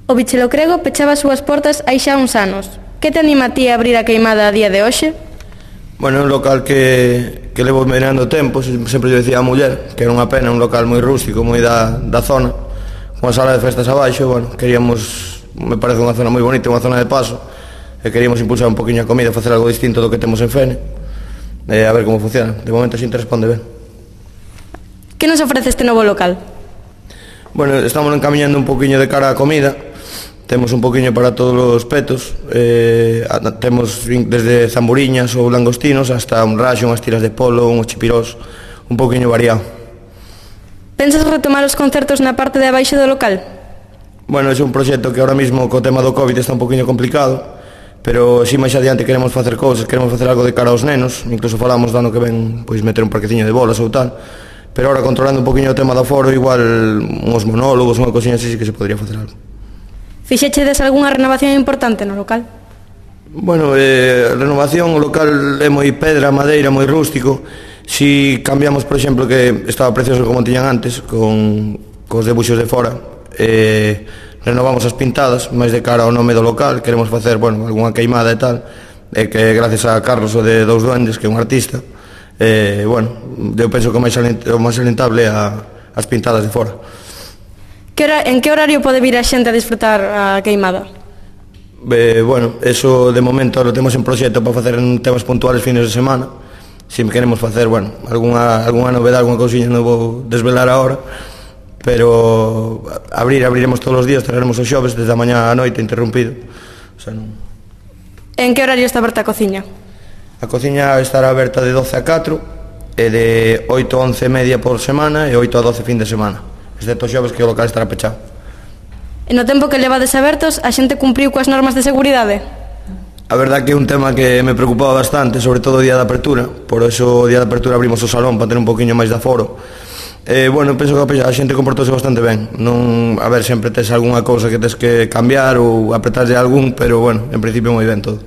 O Bichelo Crego pechaba as súas portas hai xa uns anos. Que te anima a ti a abrir a queimada a día de hoxe? Bueno, é un local que levo mirando tempo, sempre yo decía a muller, que era unha pena, un local moi rústico, moi da zona, unha sala de festas abaixo, bueno, queríamos, me parece unha zona moi bonita, unha zona de paso, e queríamos impulsar un poquinho a comida, facer algo distinto do que temos en Fene, a ver como funciona. De momento a xente responde ben. Que nos ofrece este novo local? Bueno, estamos encamiñando un poquinho de cara á comida. Temos un poquinho para todos os petos. Temos desde zamburiñas ou langostinos hasta un raxo, unhas tiras de polo, unhos chipirós, un poquinho variado. Pensas retomar os concertos na parte de abaixo do local? Bueno, é un proxecto que ahora mismo co tema do COVID está un poquinho complicado, pero si máis adiante queremos facer cousas, queremos facer algo de cara aos nenos, incluso falamos do ano que ven, pois meter un parqueciño de bolas ou tal, pero ahora controlando un poquinho o tema do aforo, igual uns monólogos, unha cosiña así, sí que se podría facer algo. Fixechedes algunha renovación importante no local? Bueno, renovación, o local é moi pedra, madeira, moi rústico. Si cambiamos, por exemplo, que estaba precioso como tiñan antes, cos debuxos de fora, renovamos as pintadas, máis de cara ao nome do local, queremos facer, bueno, algunha queimada e tal, que gracias a Carlos, o de Dous Duendes, que é un artista, bueno, eu penso que o máis salientable as pintadas de fora. En que horario pode vir a xente a disfrutar a queimada? Bueno, eso de momento lo temos en proxecto para facer en temas puntuales fines de semana. Si queremos facer, bueno, algunha novedade, algunha cousiña non vou desvelar agora, pero abriremos todos os días, traeremos os xoves desde a mañá á noite interrumpido. O sea, non... En que horario está aberta a cociña? A cociña estará aberta de 12 a 4 e de 8 a 11 e media por semana e 8 a 12 fin de semana, excepto os xoves que o local estará pechado. E no tempo que levades abertos, a xente cumpriu coas normas de seguridade? A verdad que é un tema que me preocupaba bastante, sobre todo o día de apertura, por eso o día de apertura abrimos o salón para ter un poquinho máis de aforo. Bueno, penso que a xente comportouse bastante ben. Non, a ver, sempre tes algunha cousa que tes que cambiar ou apretarlle algún, pero bueno, en principio moi ben todo.